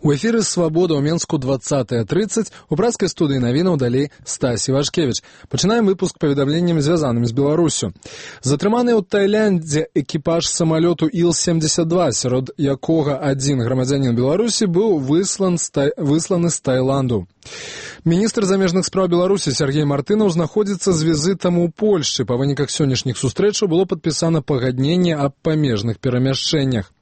У эфіры «Свабода» ў Менску 20:30. У пражскай студыі навінаў далей Стась Івашкевіч. Пачынаем выпуск паведамленнем, звязаным з Беларусю. Затрыманы ў Тайляндзе экіпаж самалёту Ил-72, сярод якога адзін грамадзянін Беларусі быў высланы з Таіланду. Міністр замежных спраў Беларусі Сергей Мартынаў знаходзіцца з візітам у Польшчы. Па выніках сённяшніх сустрэчаў было падпісана пагадненне аб памежных перамяшчэннях.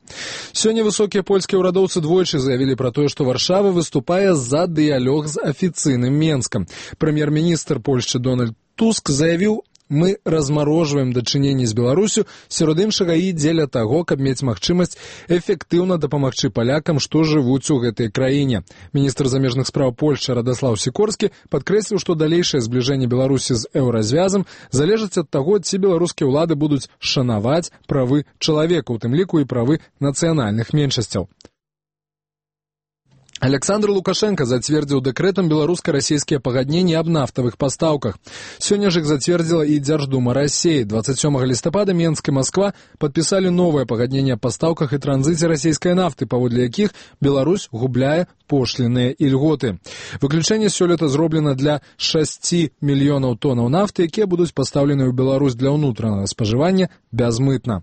Сёння высокія польскія ўрадоўцы двойчы заявілі пра тое, што Варшава выступае за дыялог з афіцыйным Менскам. Прэм'ер-міністр Польшчы Дональд Туск заявіў: «Мы размарожваем дачыненні з Беларусю, сярод іншага і дзеля таго, каб мець магчымасць эфектыўна дапамагчы палякам, што жывуць у гэтай краіне». Міністр замежных спраў Польшчы Радаслаў Сікорскі падкрэсліў, што далейшае збліжэнне Беларусі з еўразвязам залежыць ад таго, ці беларускія ўлады будуць шанаваць правы чалавека, у тым ліку і правы нацыянальных меншасцяў. Александр Лукашенко зацвердзіў дэкрэтам беларуска-расійскія пагадненні аб нафтавых пастаўках. Сёння ж іх зацвердзіла і Дзярждума Расіі. 27 лістапада Менск і Масква падпісалі новае пагадненне аб пастаўках і транзіце расійскай нафты, паводле якіх Беларусь губляе пошлінныя ільготы. Выключэнне сёлета зроблена для 6 мільёнаў тонаў нафты, якія будуць пастаўлены ў Беларусь для ўнутранага спажывання бязмытна.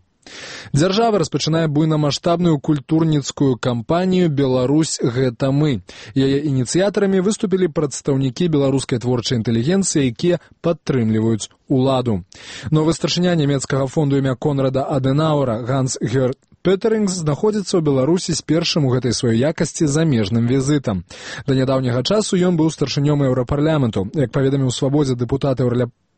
Дзяржава распачынае буйнамаштабную культурніцкую кампанію «Беларусь – гэта мы». Яе ініцыятарамі выступілі прадстаўнікі беларускай творчай інтэлігенцыі, якія падтрымліваюць уладу. Новы старшыня нямецкага фонду імя Конрада Адэнауэра Ганс Гёрд Петерингс знаходзіцца ў Беларусі з першым у гэтай сваёй якасці замежным візітам. Да нядаўняга часу ён быў старшынём еўрапарламенту. Як паведаміў у «Свабодзе» дэпутат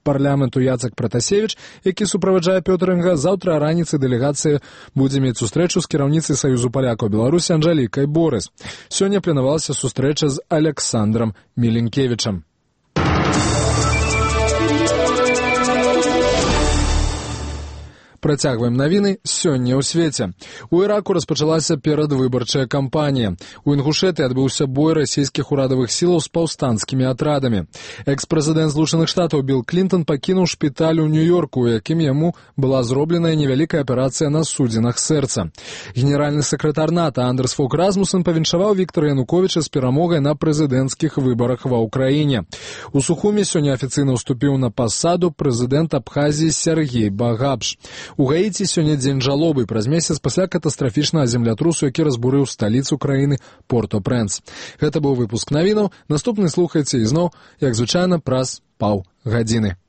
парламенту Яцек Пратасевіч, які суправаджае Пётэрінга, заўтра раніцай дэлегацыя будзе мець сустрэчу з кіраўніцай Саюзу палякаў Беларусі Анжалікай Борыс. Сёння планавалася сустрэча з Александрам Міленкевічам. Працягваем навіны сёння ў свеце. У Іраку распачалася перадвыбарчая кампанія. У Інгушэты адбыўся бой расійскіх урадавых сілаў з паўстанцкімі атрадамі. Экс-прэзідэнт Злучаных Штатаў Білл Клінтон пакінуў шпіталь у Нью-Йорку, у якім яму была зробленая невялікая аперацыя на судзінах сэрца. Генеральны сакратар НАТО Андерс Фок Расмуссен павіншаваў Віктара Януковіча з перамогай на прэзідэнцкіх выбарах ва ўкраіне. У Сухуме сёння афіцыйна ўступіў на пасаду прэзідэнт Абхазіі Сергей Багапш. У Гаіці сёння дзень жалобы праз месяц пасля катастрафічнага землятрусу, які разбурыў сталіцу краіны Порто-Прэнс. Гэта быў выпуск навінаў. Наступны слухайце ізноў, як звычайна, праз паўгадзіны.